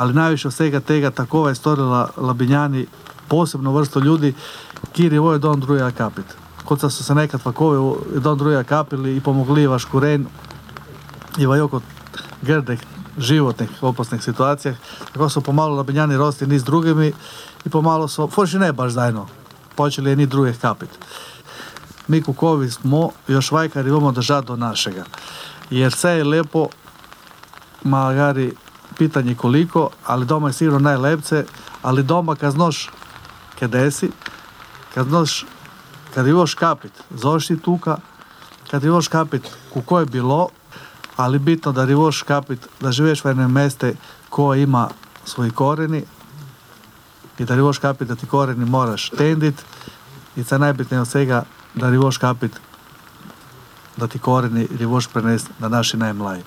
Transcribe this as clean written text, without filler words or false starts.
ali najviše od svega tega takova je storila Labinjani posebno vrsto ljudi, kjer je vojo don druja kapit. Kot so se nekad vakovi don druja kapili i pomogli vaš kuren i vajoko grdih životnih opasnih situacijah, tako su pomalo Labinjani rosti ni s drugimi i pomalo su, forši ne baš zajedno, počeli je ni drugih kapit. Mi kukovi smo još vajkari imamo držati do našega. Jer sve je lepo, magari pitanje koliko, ali doma je sigurno najlepce, ali doma kad znaš kada si, kad imaš kapit, zoši tuka, kad imaš kapit kuko je bilo, ali bitno da imaš kapit, da živeš u jednom meste ko ima svoji koreni i da imaš kapit da ti koreni moraš tendit i sa najbitnije od svega da imaš kapit da ti koreni imaš prenesti na naši najmlaji.